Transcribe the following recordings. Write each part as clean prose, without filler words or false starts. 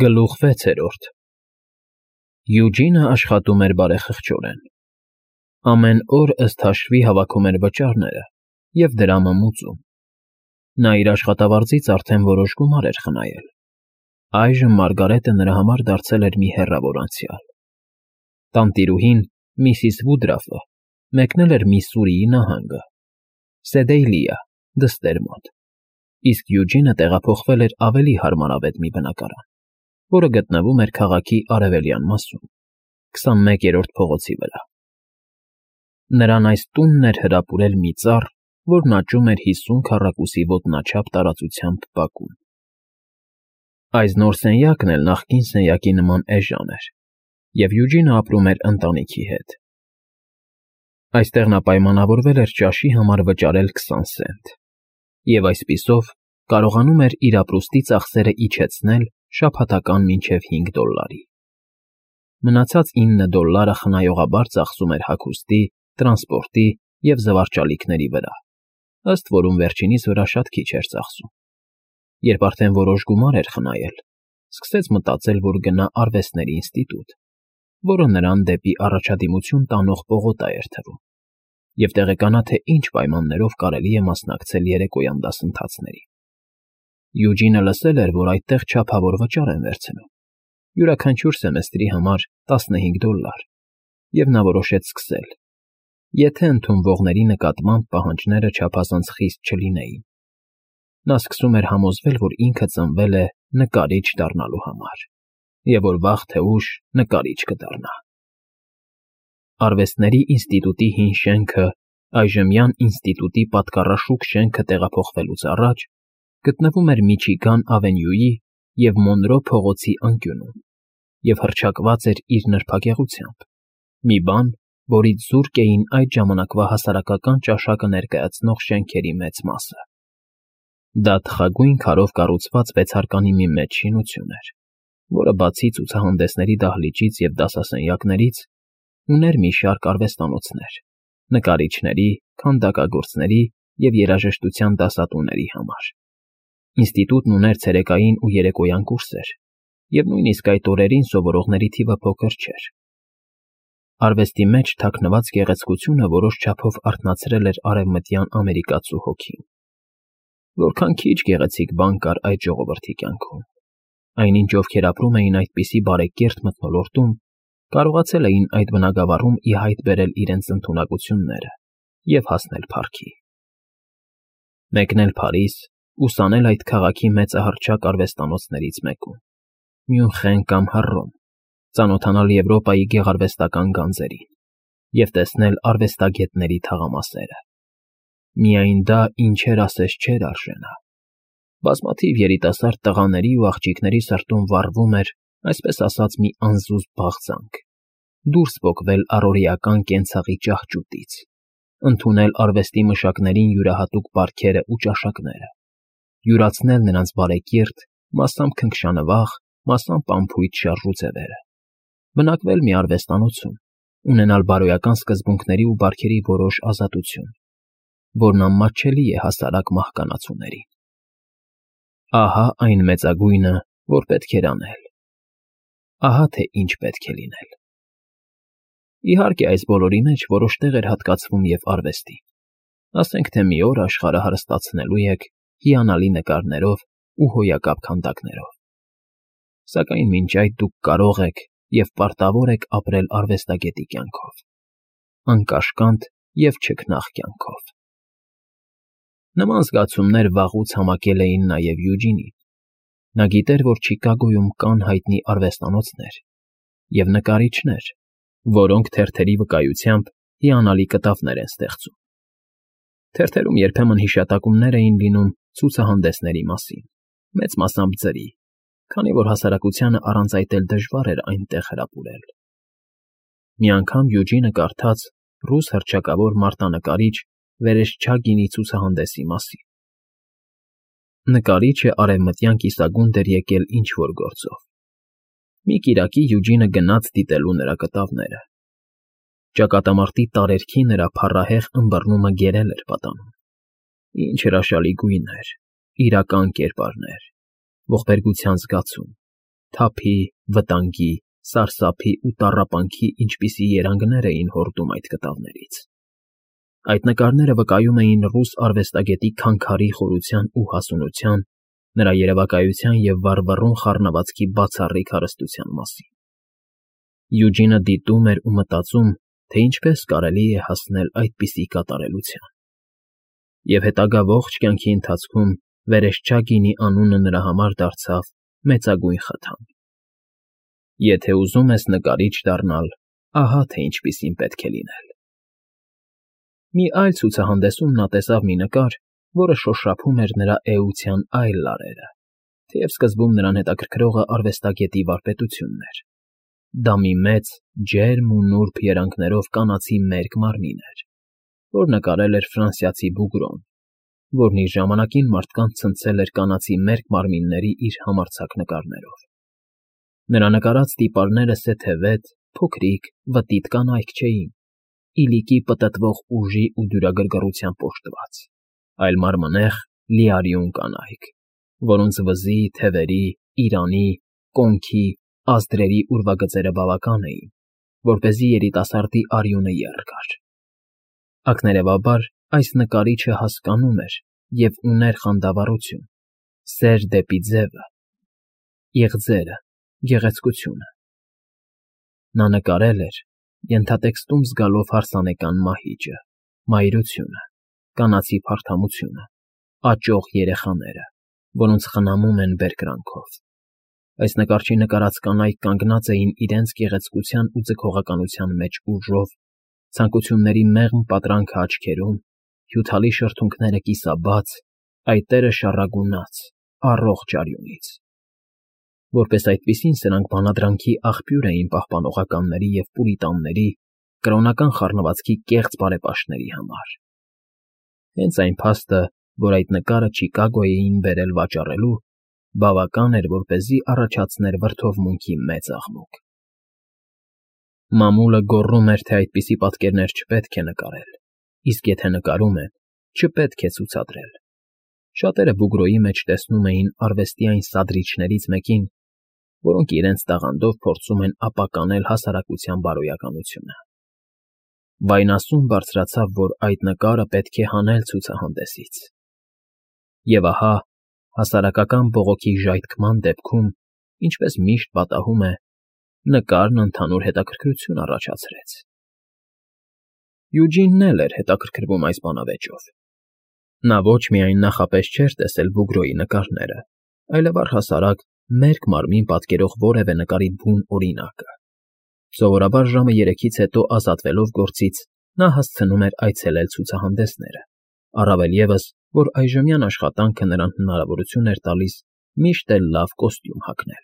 Գլուխ 6-րդ Յուջինը աշխատում էր բարեխղճորեն։ Ամեն օր ըստ հաշվի հավաքում էր վճարները և դրամը մուծում։ Նա իր աշխատավարձից արդեն որոշ գումար էր խնայել։ Այժմ Մարգարետը նրա համար դարձել էր մի հեռավոր անցյալ։ Տանտիրուհին, միսիս Վուդրաֆը, մեկնել էր Միսսուրիի նահանգը, Սեդեյլիա, դստեր մոտ, իսկ Յուջինը տեղափոխվել էր ավելի հարմարավետ մի բնակարան, որը գտնվում էր քաղաքի արևելյան մասում, 21-րդ փողոցի վրա։ Նրան այս տունն էր հրապուրել մի ծառ, որն աճում էր 50 քառակուսի ոտնաչափ տարածությամբ բակում։ Այս նոր սենյակն էլ նախկին սենյակի նման էժան էր, և Յուջինը ապրում էր ընտանիքի հետ։ Այստեղ նա պայմանավորվել էր ճաշի համար վճարել 20 սենտ, և այսպիսով կարողանում էր իր ապրուստի ծախսերը իջեցնել շաբաթական մինչև $5։ Մնացած $9 խնայողաբար ծախսում էր հագուստի, տրանսպորտի և զվարճալիքների վրա, ըստ որում վերջինիս վրա շատ քիչ էր ծախսում։ Երբ արդեն որոշ գումար էր խնայել, սկսեց մտածել, որ գնա արվեստների ինստիտուտ, որը նրան դեպի առաջադիմություն տանող պողոտա էր թվում, և տեղեկանա, թե ինչ պայմաններով կարելի է մասնակցել երեկոյան դասընթացներին։ Յուջինը լսել էր, որ այդտեղ չափավոր վճար են վերցնում, յուրաքանչյուր սեմեստրի համար $15, և նա որոշեց սկսել, եթե ընդունվողների նկատմամբ պահանջները չափազանց խիստ չլինեին։ Նա սկսում էր համոզվել, որ ինքը ծնվել է նկարիչ դառնալու համար, և որ վաղ թե ուշ նկարիչ կդառնա։ Արվեստների ինստիտուտի հին շենքը, այժմյան ինստիտուտի պատկառաշուք շենքը տեղափոխվելուց առաջ, գտնվում էր Միչիգան ավենյուի և Մոնրո փողոցի անկյունում և հռչակված էր իր նրբագեղությամբ, մի բան, որից զուրկ էին այդ ժամանակվա հասարակական ճաշակը ներկայացնող շենքերի մեծ մասը։ Դա թխագույն քարով կառուցված վեցարկանի մի մեծ շինություն էր, որը բացի ցուցահանդեսների դահլիճից և դասասենյակներից, ուներ մի շարք արվեստանոցներ՝ նկարիչների, քանդակագործների և երաժշտության դասատուների համար։ Ինստիտուտն ուներ ցերեկային ու երեկոյան կուրսեր, և նույնիսկ այդ օրերին սովորողների թիվը փոքր չէր։ Արվեստի մեջ թաքնված գեղեցկությունը որոշ չափով արթնացրել էր արևմտյան ամերիկացու հոգին։ Որքան քիչ գեղեցիկ բան կար այդ ժողովրդի կյանքում, այնինչ ովքեր ապրում էին այդպիսի բարեկիրթ մթնոլորտում, կարողացել էին այդ բնագավառում ի հայտ բերել իրենց ընդունակությունները և հասնել փառքի։ Մեկնել Փարիզ, ուսանել այդ քաղաքի մեծահռչակ արվեստանոցներից մեկում, Մյունխեն կամ Հռոմ, ծանոթանալ Եվրոպայի գեղարվեստական գանձերին և տեսնել արվեստագետների թաղամասերը։ Միայն դա ինչեր ասես չէր արժանա։ Բազմաթիվ երիտասարդ տղաների ու աղջիկների սրտում վառվում էր, այսպես ասած, մի անզուսպ բաղձանք՝ դուրս պոկվել առօրեական կենցաղի ճահճուտից, ընդունել արվեստի մշակներին յուրահատուկ բարքերը ու ճաշակները, յուրացնել նրանց բարեկիրթ, մասամբ քնքշանվաղ, մասամբ անփույթ շարժուձևերը, բնակվել մի արվեստանոցում, ունենալ բարոյական սկզբունքների ու բարքերի որոշ ազատություն, որն անմատչելի է հասարակ մահկանացուներին։ Ահա այն մեծագույնը, որ պետք էր անել։ Ահա թե ինչ պետք է լինել։ Իհարկե, այս բոլորի մեջ որոշ տեղ էր հատկացվում և արվեստին։ Ասենք թե մի օր աշխարհը հարստացնելու եք հիանալի նկարներով ու հոյակապ քանդակներով։ Սակայն մինչ այդ դուք կարող եք և պարտավոր եք ապրել արվեստագետի կյանքով, անկաշկանդ և չքնաղ կյանքով։ Նման զգացումներ վաղուց համակել էին նաև Յուջինին։ Նա գիտեր, որ Չիկագոյում կան հայտնի արվեստանոցներ և նկարիչներ, որոնք թերթերի վկայությամբ հիանալի կտավներ են ստեղծում։ Թերթերում երբեմն հիշատակումներ էին լինում ցուցահանդեսների մասին, մեծ մասամբ ձրի, քանի որ հասարակությանը առանց այդ էլ դժվար էր այնտեղ հրապուրել։ Մի անգամ Յուջինը կարդաց ռուս հռչակավոր մարտանկարիչ Վերեշչագինի ցուցահանդեսի մասին։ Նկարիչը արևմտյան կիսագունդ էր եկել ինչ֊որ գործով։ Մի կիրակի Յուջինը գնաց դիտելու նրա կտավները։ Ճակատամարտի տարերքի նրա փառահեղ ըմբռնումը գերել էր պատանում։ Ինչ հրաշալի գույներ, իրական կերպարներ, ողբերգության զգացում, թափի, վտանգի, սարսափի ու տառապանքի ինչպիսի երանգներ էին հորդում այդ կտավներից։ Այդ նկարները վկայում էին ռուս արվեստագետի քանքարի խորության ու հասունության, նրա երևակայության և վառվռուն խառնվածքի բացառիկ հարստության մասին։ Յուջինը դիտում էր ու մտածում, թե ինչպես կարելի է հասնել այդպիսի կատարելության։ Եվ հետագա ողջ կյանքի ընթացքում Վերեշչագինի անունը նրա համար դարձավ մեծագույն խթան։ Եթե ուզում ես նկարիչ դառնալ, ահա թե ինչպիսին պետք է լինել։ Մի այլ ցուցահանդեսում նա տեսավ մի նկար, որը շոշափում էր նրա էության այլ լարերը, թեև սկզբում նրան հետաքրքրողը արվեստագետի վարպետությունն էր։ Դա մի մեծ, ջերմ ու նուրբ երանգներով կանացի մերկ մարմին էր, որ նկարել էր ֆրանսիացի բուգրոն, որն իր ժամանակին մարդկանց ցնցել էր կանացի մերկ մարմինների իր համարձակ նկարներով։ Նրա նկարած տիպարները սեթևետ, փոքրիկ, վտիտ կանայք չէին, իլիկի պտտվող ուժի ու դյուրագրգռությամբ օժտված, այլ մարմնեղ, լիարյուն կանայք, որոնց վզի, թևերի, իրանի, կոնքի, ազդրերի ուրվագծերը բավական էին, որպեսզի երիտասարդի արյունը եռ գար։ Ակներևաբար այս նկարիչը հասկանում էր և ուներ խանդավառություն, սեր դեպի ձևը, իղձերը, գեղեցկությունը։ Նա նկարել էր, ենթատեքստում զգալով հարսանեկան մահիճը, մայրությունը, կանացի փարթամությունը, աճող երեխաները, որոնց խնամում են բերկրանքով։ Այս նկարչի նկարած կանայք կանգնած էին իրենց գեղեցկության ու ձգողականության մեջ ուժով, ցանկությունների մեղմ պատրանքը աչքերում, հյութալի շրթունքները կիսաբաց, այտերը շառագունած, առողջ արյունից։ Որպես այդպիսին սրանք բանադրանքի աղբյուր էին պահպանողականների և պուրիտանների, կրոնական խառնվածքի կեղծ բարեպաշտների համար։ Հենց այն փաստը, որ այդ նկարը Չիկագո էին բերել վաճառելու, բավական էր, որպեսզի առաջացներ վրդովմունքի մեծ աղմուկ։ Մամուլը գոռում էր, թե այդպիսի պատկերներ չպետք է նկարել, իսկ եթե նկարում են, չպետք է ցուցադրել։ Շատերը Բուգրոյի մեջ տեսնում էին արվեստի այն սադրիչներից մեկին, որոնք իրենց տաղանդով փորձում են ապականել հասարակության բարոյականությունը։ Վայնասուն բարձրացավ, որ այդ նկարը պետք է հանել ցուցահանդեսից։ Եվ ահա, հասարակական բողոքի ժայթքման դեպքում, ինչպես միշտ պատահում է, նկարն ընդհանուր հետաքրքրություն առաջացրեց։ Յուջինն էլ էր հետաքրքրվում այս բանավեճով։ Նա ոչ միայն նախապես չէր տեսել Բուգրոյի նկարները, այլև առհասարակ մերկ մարմին պատկերող որևէ նկարի բուն օրինակը։ Սովորաբար ժամը 3-ից հետո ազատվելով գործից նա հասցնում էր այցելել ցուցահանդեսները, առավել ևս, որ այժմյան աշխատանքը նրան հնարավորություն էր տալիս միշտ էլ լավ կոստյում հագնել։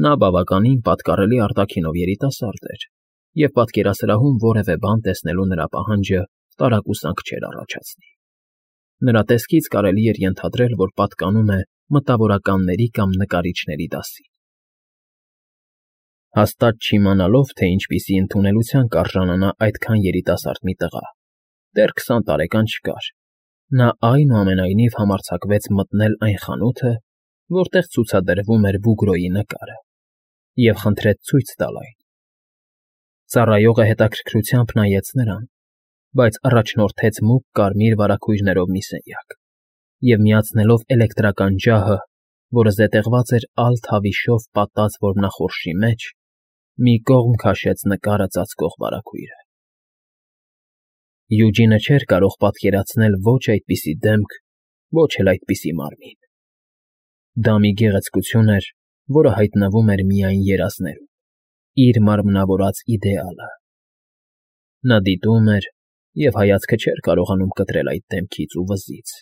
Նա բավականին պատկառելի արտաքինով երիտասարդ էր, և պատկերասրահում որևէ բան տեսնելու նրա պահանջը տարակուսանք չէր առաջացնի։ Նրա տեսքից կարելի էր ենթադրել, որ պատկանում է մտավորականների կամ նկարիչների դասին։ Հաստատ չիմանալով, թե ինչպիսի ընդունելության կարժանանա այդքան երիտասարդ մի տղա, դեռ 20 տարեկան չկար, նա այնուամենայնիվ համարձակվեց մտնել այն խանութը, որտեղ ցուցադրվում էր Բուգրոյի նկարը, և խնդրեց ցույց տալ այն։ Ծառայողը հետաքրքրությամբ նայեց նրան, բայց առաջնորդեց մուգ կարմիր վարագույրներով մի սենյակ և, միացնելով էլեկտրական ջահը, որը զետեղված էր ալ թավիշով պատած որմնախորշի մեջ, մի կողմ քաշեց նկարը ծածկող վարագույրը։ Յուջինը չէր կարող պատկերացնել ոչ այդպիսի դեմք, ոչ էլ այդպիսի մարմին։ Դա մի գեղեցկություն էր, որը հայտնվում էր միայն երազներում, իր մարմնավորած իդեալը։ Նա դիտում էր և հայացքը չէր կարողանում կտրել այդ դեմքից ու վզից,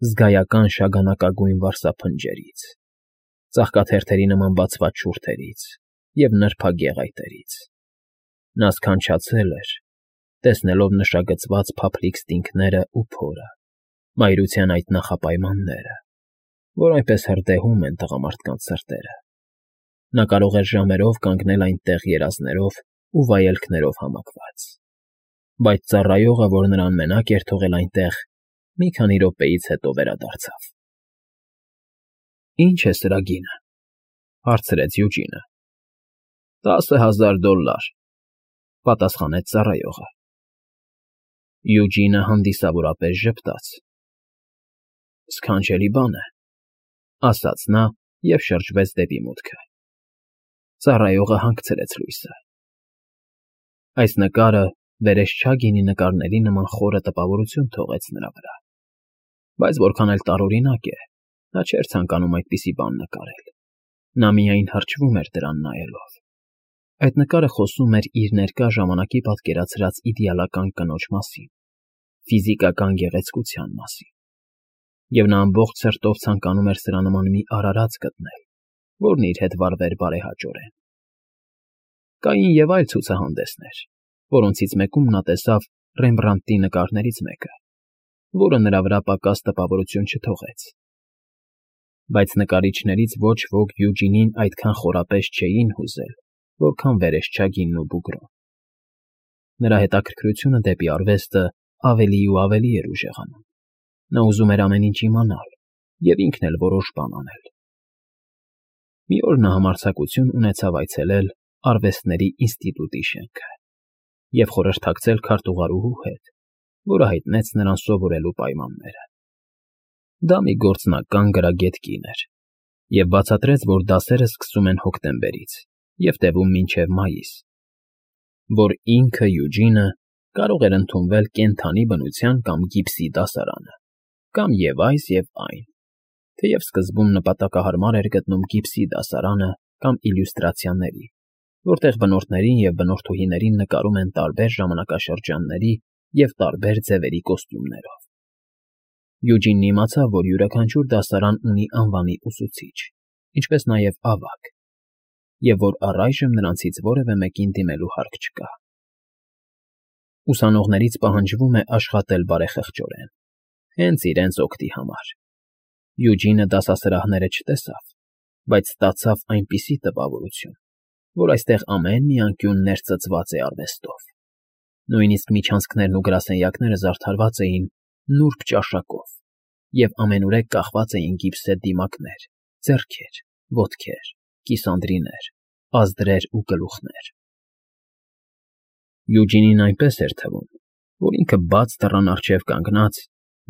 զգայական շագանակագույն վարսափնջերից, ծաղկաթերթերի նման բացված շուրթերից և նրբագեղ այտերից։ Նա սքանչացել էր, տեսնելով նշագծված փափլիկ ստինգները ու փորը, մայրության այդ նախապայմանները, որ այնպես հրդեհում են տղամարդկանց սրտերը։ Նա կարող էր ժամերով կանգնել այնտեղ երազներով ու վայելքներով համակված։ Բայց ծառայողը, որ նրան մենակ էր թողել այնտեղ, մի քանի րոպեից հետո վերադարձավ։ ֊ Ի՞նչ է սրա գինը։ հարցրեց Յուջինը։ $10,000, պատասխանեց ծառայողը։ Յուջինը հանդիսավորապես ժպտաց։ Սքանչելի բան է, ասաց նա և շրջվեց դեպի մուտքը։ Ծառայողը հանգցրեց լույսը։ Այս նկարը վերեսչագինի նկարների նման խորը տպավորություն թողեց նրա վրա, բայց որքան էլ տարօրինակ է, նա չէր ցանկանում այդպիսի բան նկարել։ Նա միայն հրճվում էր դրան նայելով։ Այդ նկարը խոսում էր իր ներկա ժամանակի պատկերացրած իդեալական կնոջ մասին, ֆիզիկական գեղեցկության մասին, և նա ամբողջ սրտով ցանկանում էր սրա նման մի արարած գտնել, որն իր հետ վարվեր բարեհաճորեն։ Կային և այլ ցուցահանդեսներ, որոնցից մեկում նա տեսավ Ռեմբրանդտի նկարներից մեկը, որը նրա վրա պակաս տպավորություն չթողեց։ Բայց նկարիչներից ոչ ոք Յուջինին այդքան խորապես չէին հուզել, որքան վերեսչագինն ու Բուգրոն։ Նրա հետաքրքրությունը դեպի արվեստը ավելի ու ավելի էր ուժեղանում։ Նա ուզում էր ամեն ինչ իմանալ և ինքն էլ որոշ բան անել։ Մի օր նա համարձակություն ունեցավ այցելել Արվեստների ինստիտուտի շենքը և խորհրդակցել քարտուղարուհու հետ, որը հայտնեց նրան սովորելու պայմանները։ Դա մի գործնական գրագետ կին էր և բացատրեց, որ դասերը սկսում են հոկտեմբերից և տևում մինչև մայիս, որ ինքը Յուջինը կարող էր ընդունվել կենդանի բնության կամ գիպսի դասարանը, կամ և այս և այն, թեև սկզբում նպատակահարմար էր գտնում գիպսի դասարանը կամ իլյուստրացիաների, որտեղ բնորդներին և բնորդուհիներին նկարում են տարբեր ժամանակաշրջանների և տարբեր ձևերի կոստյումներով։ Յուջինն իմացավ, որ յուրաքանչյուր դասարան ունի անվանի ուսուցիչ, ինչպես նաև ավագ, և որ առայժմ նրանցից որևէ մեկին դիմելու հարկ չկա։ Ուսանողներից պահանջվում է աշխատել բարեխղճորեն, հենց իրենց օգտի համար։ Յուջինը դասասրահները չտեսավ, բայց ստացավ այնպիսի տպավորություն, որ այստեղ ամեն մի անկյուն ներծծված է արվեստով։ Նույնիսկ միջանցքներն ու գրասենյակները զարդարված էին նուրբ ճաշակով, և ամենուրեք կախված էին գիպսե դիմակներ, ձեռքեր, ոտքեր, կիսանդրիներ, ազդրեր ու գլուխներ։ Յուջինին այնպես էր թվում, որ ինքը բաց դռան առջև կանգնած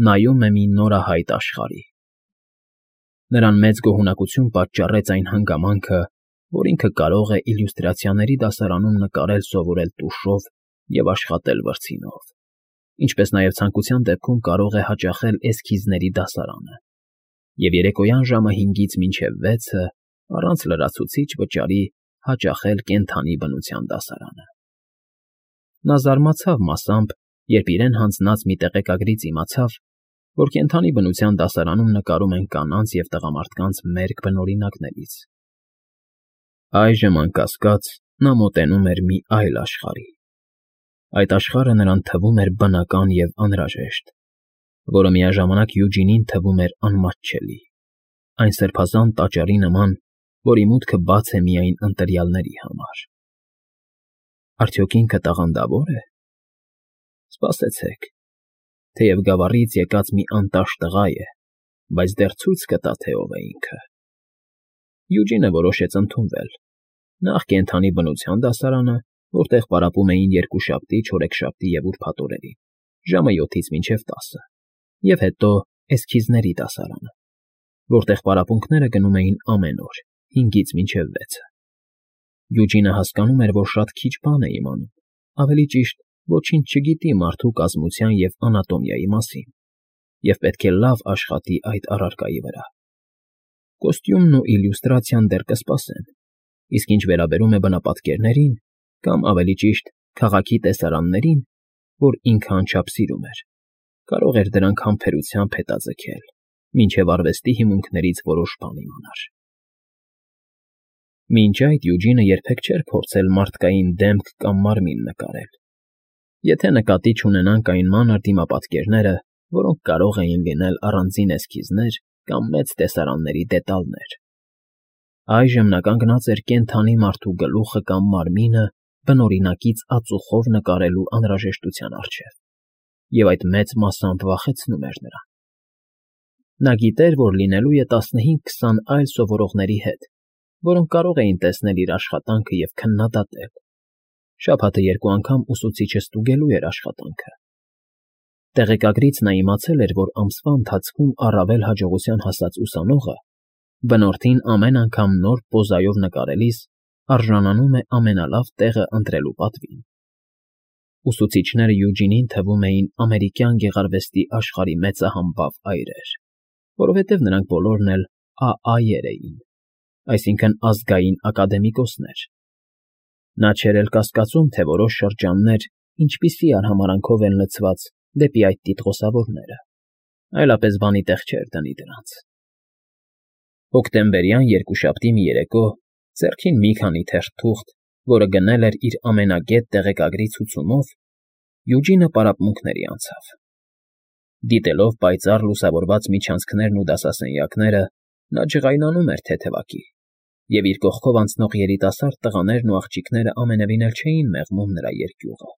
նայում է մի նորահայտ աշխարհի։ Նրան մեծ գոհունակություն պատճառեց այն հանգամանքը, որ ինքը կարող է իլյուստրացիաների դասարանում նկարել սովորել տուշով և աշխատել վրձինով, ինչպես նաև ցանկության դեպքում կարող է հաճախել էսքիզների դասարանը և երեկոյան ժամը 5-ից մինչև 6-ը առանց լրացուցիչ վճարի հաճախել կենդանի բնության դասարանը։ Նա զարմացավ մասամբ, երբ իրեն հանձնած մի տեղեկագրից իմացավ, որ կենդանի բնության դասարանում նկարում են կանանց և տղամարդկանց մերկ բնօրինակներից։ Այժմ, անկասկած, նա մոտենում էր մի այլ աշխարհի։ Այդ աշխարհը նրան թվում էր բնական և անհրաժեշտ, որը միաժամանակ Յուջինին թվում էր անմատչելի, այն սրբազան տաճարի նման, որի մուտքը բաց է միայն ընտրյալների համար։ Արդյոք ինքը տաղանդավո՞ր է։ Սպասեցեք, թեև գավառից եկած մի անտաշ տղա է, բայց դեռ ցույց կտա, թե ով է ինքը։ Յուջինը որոշեց ընդունվել նախ կենդանի բնության դասարանը, որտեղ պարապում էին երկուշաբթի, չորեքշաբթի և ուրբաթ օրերին, ժամը 7-ից մինչև 10, և հետո էսքիզների դասարանը, որտեղ պարապմունքները գնում էին ամեն օր, 5-ից մինչև 6։ Յուջինը հասկանում էր, որ շատ քիչ բան է իմանում, ավելի ճիշտ, ոչինչ չգիտի մարդու կազմության և անատոմիայի մասին, և պետք է լավ աշխատի այդ առարկայի վրա։ Կոստյումն ու իլյուստրացիան դեռ կսպասեն, իսկ ինչ վերաբերում է բնապատկերներին, կամ ավելի ճիշտ, քաղաքի տեսարաններին, որ ինքը անչափ սիրում էր, կարող էր դրանք համբերությամբ հետաձգել, մինչև արվեստի հիմունքներից որոշ բան իմանար։ Մինչ այդ Յուջինը երբեք չէր փորձել մարդկային դեմք կամ մարմին նկարել, եթե նկատի չունենանք այն մանր դիմապատկերները, որոնք կարող էին լինել առանձին էսքիզներ կամ մեծ տեսարանների դետալներ։ Այժմ նա կանգնած էր կենդանի մարդու գլուխը կամ մարմինը բնօրինակից ածուխով նկարելու անհրաժեշտության առջև, և այդ մեծ մասամբ վախեցնում էր նրան։ Նա գիտեր, որ լինելու է 15-20 այլ սովորողների հետ, որոնք կարող էին տեսնել իր աշխատանքը և քննադատել։ Շաբաթը 2 անգամ ուսուցիչը ստուգելու էր աշխատանքը։ Տեղեկագրից նա իմացել էր, որ ամսվա ընթացքում առավել հաջողության հասած ուսանողը բնորդին ամեն անգամ նոր պոզայով նկարելիս արժանանում է ամենալավ տեղը ընտրելու պատվին։ Ուսուցիչները Յուջինին թվում էին ամերիկյան գեղարվեստի աշխարհի մեծահամբավ այրեր, որովհետև նրանք բոլորն էլ AA-եր էին, այսինքն ազգային ակադեմիկոսներ։ Նա չէր էլ կասկածում, թե որոշ շրջաններ ինչպիսի արհամարանքով են լցված դեպի այդ տիտղոսավորները, այլապես բանի տեղ չէր դնի դրանց։ Հոկտեմբերյան երկուշաբթի մի երեկո, ձեռքին մի քանի թերթ թուղթ, որը գնել էր իր ամենագետ տեղեկագրի ցուցումով, Յուջինը պարապմունքների անցավ։ Դիտելով պայծառ լուսավորված միջանցքներն ու դասասենյակները, նա ջղայնանում էր թեթևակի, և իր կողքով անցնող երիտասարդ տղաներն ու աղջիկները ամենևին էլ չէին մեղմում նրա երկյուղը։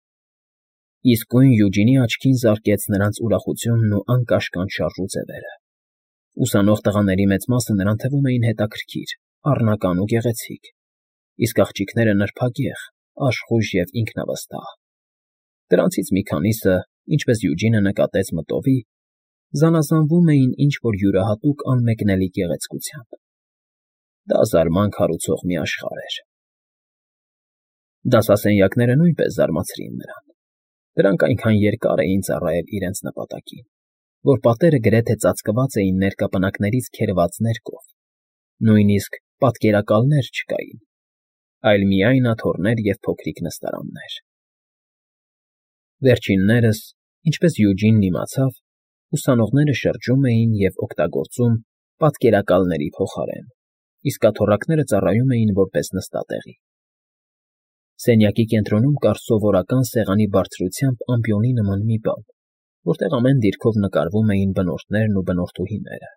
Իսկույն Յուջինի աչքին զարկեց նրանց ուրախությունն ու անկաշկանդ շարժուձևերը։ Ուսանող տղաների մեծ մասը նրան թվում էին հետաքրքիր, առնական ու գեղեցիկ, իսկ աղջիկները նրբագեղ, աշխույժ և ինքնավստահ։ Դրանցից մի քանիսը, ինչպես Յուջինը նկատեց մտովի, զանազանվում էին ինչ-որ յուրահատուկ անմեկնելի գեղեցկությամբ։ Դա զարմանք հարուցող մի աշխարհ էր։ Դասասենյակները նույնպես զարմացրին նրան։ Դրանք այնքան երկար էին ծառայել իրենց նպատակին, որ պատերը գրեթե ծածկված էին ներկապնակներից քերված ներկով, նույնիսկ պատկերակալներ չկային, այլ միայն աթոռներ և փոքրիկ նստարաններ։ Վերջիններս, ինչպես Յուջինն իմացավ, ուսանողները շրջում էին և օգտագործում պատկերակալների փոխարեն, իսկ աթոռակները ծառայում էին որպես նստատեղի։ Սենյակի կենտրոնում կար սովորական սեղանի բարձրությամբ ամպիոնի նման մի բան, որտեղ ամեն դիրքով նկարվում էին բնորդներն ու բնորդուհիները։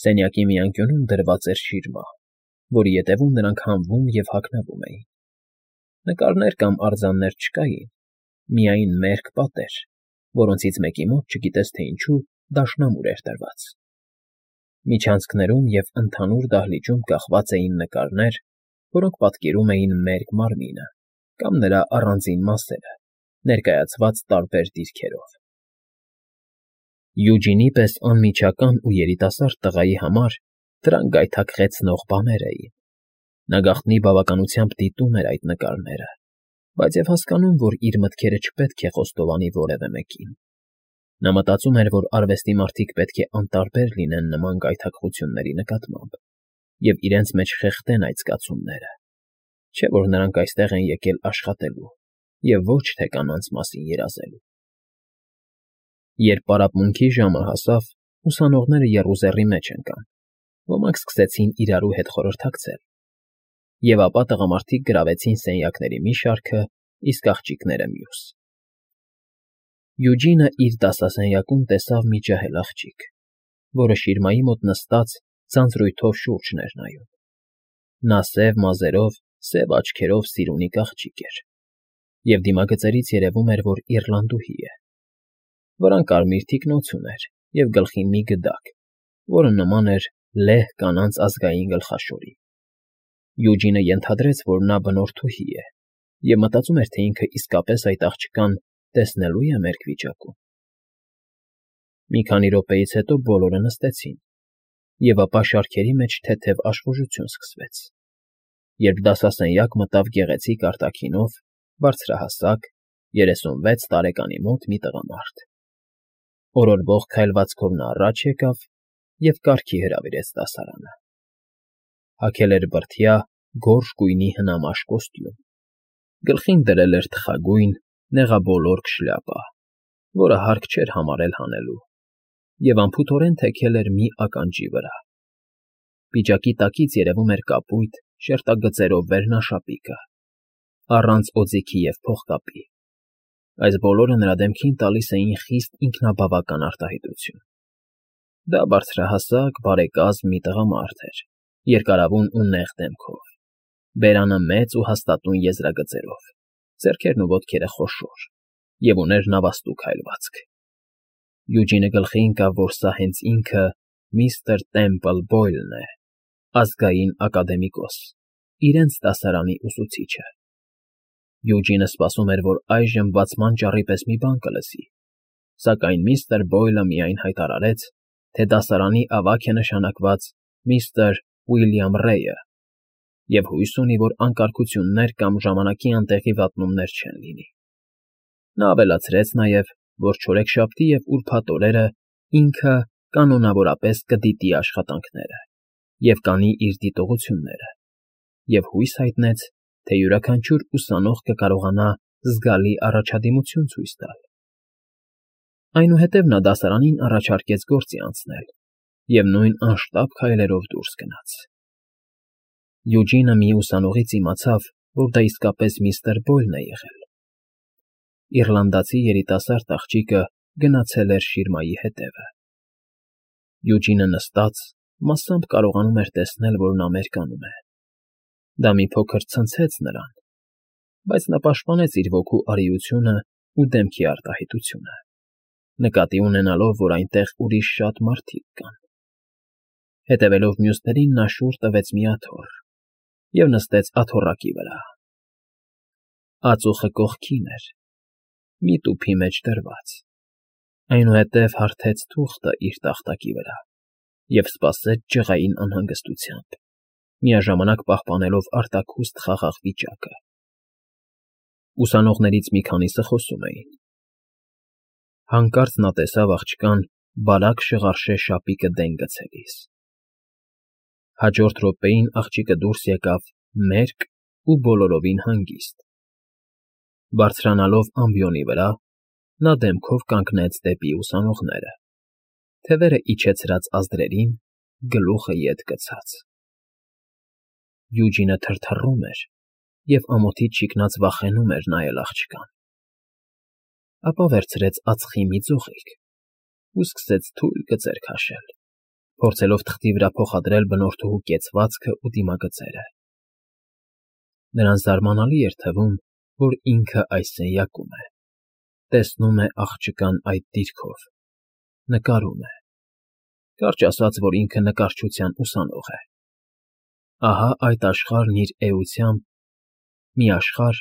Սենյակի մի անկյունում դրված էր շիրմա, որի ետևում նրանք հանվում և հագնվում էին։ Նկարներ կամ արձաններ չկային, միայն մերկ պատեր, որոնցից մեկի մոտ, չգիտես թե ինչու, դաշնամուր էր դրված։ Միջանցքներում և ընդհանուր դահլիճում կախված էին նկարներ, որոնք պատկերում էին մերկ մարմինը կամ նրա առանձին մասերը, ներկայացված տարբեր դիրքերով։ Յուջինի պես անմիջական ու երիտասարդ տղայի համար դրանք գայթակղեցնող բաներ էին։ Նա գաղտնի բավականությամբ դիտում էր այդ նկարները, բայց և հասկանում, որ իր մտքերը չպետք է խոստովանի որևէ մեկին։ Նա մտածում էր, որ արվեստի մարդիկ պետք է անտարբեր լինեն նման գայթակղությունների նկատմամբ և իրենց մեջ խեղդեն այդ զգացումները, չէ՞ որ նրանք այստեղ են եկել աշխատելու և ոչ թե կանանց մասին երազելու։ Երբ պարապմունքի ժամը հասավ, ուսանողները եռուզեռի մեջ ընկան, ոմանք սկսեցին իրարու հետ խորհրդակցել, և ապա տղամարդիկ գրավեցին սենյակների մի շարքը, իսկ աղջիկները մյուս։ Յուջինը իր դասասենյակում տեսավ մի ջահել աղջիկ, որը շիրմայի մոտ նստած ձանձրույթով շուրջն էր նայում։ Նա սև մազերով, սև աչքերով սիրունիկ աղջիկ էր, և դիմագծերից երևում էր, որ իռլանդուհի է։ Վրան կարմիր թիկնոց ուներ և գլխին մի գդակ, որը նման էր լեհ կանանց ազգային գլխաշորի։ Յուջինը ենթադրեց, որ նա բնորդուհի է, և մտածում էր, թե ինքը իսկապես այդ աղջկան տեսնելու է մերկ վիճակում։ Մի քանի րոպեից հետո բոլորը նստեցին, և ապա շարքերի մեջ թեթև աշխուժություն սկսվեց, երբ դասասենյակ մտավ գեղեցիկ արտաքինով, բարձրահասակ, 36 տարեկանի մոտ մի տղամարդ։ Օրորվող քայլվածքով նա առաջ եկավ և կարգի հրավիրեց դասարանը։ Հագել էր բրդյա, գորշ գույնի հնամաշ կոստյում, գլխին դրել էր թխագույն, նեղաբոլորք շլյապա, որը հարկ չէր համարել հանելու, և անփութորեն թեքել էր մի ականջի վրա։ Պիջակի տակից երևում էր կապույտ, շերտագծերով վերնաշապիկը, առանց օձիքի և փողկապի։ Այս բոլորը նրա դեմքին տալիս էին խիստ ինքնաբավական արտահայտություն։ Դա բարձրահասակ, բարեկազմ մի տղամարդ էր, երկարավուն ու նեղ դեմքով, բերանը մեծ ու հաստատուն եզրագծերով, ձեռքերն ու ոտքերը խոշոր, և ուներ նավաստու քայլվածք։ Յուջինը գլխի ընկավ, որ սա հենց ինքը միստր Տեմպլ Բոյլն է, ազգային ակադեմիկոս, իրենց դասարանի ուսուցիչը։ Յուջինը սպասում էր, որ այժմ բացման ճառի պես մի բան կլսի, սակայն միստր Բոյլը միայն հայտարարեց, թե դասարանի ավագ է նշանակված միստր Ուիլյամ Ռեյը, և հույս ունի, որ անկարգություններ կամ ժամանակի անտեղի վատնումներ չեն լինի։ Նա ավելացրեց նաև, որ չորեքշաբթի և ուրբաթ օրերը ինքը կանոնավորապես կդիտի աշխատանքները և կանի իր դիտողությունները, և հույս հայտնեց, թե յուրաքանչյուր ուսանող կկարողանա զգալի առաջադիմություն ցույց տալ։ Այնուհետև նա դասարանին առաջարկեց գործի անցնել և նույն անշտապ քայլերով դուրս գնաց։ Յուջինը մի ուսանողից իմացավ, որ դա իսկապես միստր Բոյլն է եղել։ Իռլանդացի երիտասարդ աղջիկը գնացել էր շիրմայի հետևը։ Յուջինը նստած մասամբ կարողանում էր տեսնել, որ նա մերկանում է։ Դա մի փոքր ցնցեց նրան, բայց նա պաշտպանեց իր ոգու արիությունն ու դեմքի արտահայտությունը, նկատի ունենալով, որ այնտեղ ուրիշ շատ մարդիկ կան։ Հետևելով մյուսներին, նա շուռ տվեց մի աթոռ և նստեց աթոռակի վրա։ Ածուխը կողքին էր, մի տուփի մեջ դրված, այնուհետև հարթեց թուղթը իր տախտակի վրա և սպասեց ջղային անհանգստությամբ, միաժամանակ պահպանելով արտաքուստ խաղաղ վիճակը։ Ուսանողներից մի քանիսը խոսում էին։ Հանկարծ նա տեսավ աղջկան բարակ շղարշե շապիկը դեն գցելիս։ Հաջորդ րոպեին աղջիկը դուրս եկավ մերկ ու բոլորովին հանգիստ։ Բարձրանալով ամբիոնի վրա, նա դեմքով կանգնեց դեպի ուսանողները, թևերը իջեցրած ազդրերին, գլուխը ետ գցած։ Յուջինը թրթռում էր և ամոթից ճիկնած վախենում էր նայել աղջկան։ Ապա վերցրեց ածխի մի ձողիկ ու սկսեց թույլ գծեր քաշել, փորձելով թղթի վրա փոխադրել բնորդուհու կեցվածքն ու դիմագծերը։ Նրան զարմանալի էր թվում, որ ինքը այս սենյակում է, տեսնում է աղջկան այդ դիրքով, նկարում է, կարճ ասած, որ ինքը նկարչության ուսանող է։ Ահա այդ աշխարհն իր էությամբ, մի աշխարհ,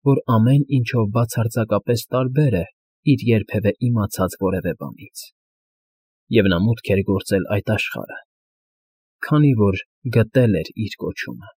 որ ամեն ինչով բացարձակապես տարբեր է իր երբևէ իմացած որևէ բանից։ Եվ նա մուտք էր գործել այդ աշխարհը, քանի որ գտել էր իր կոչումը։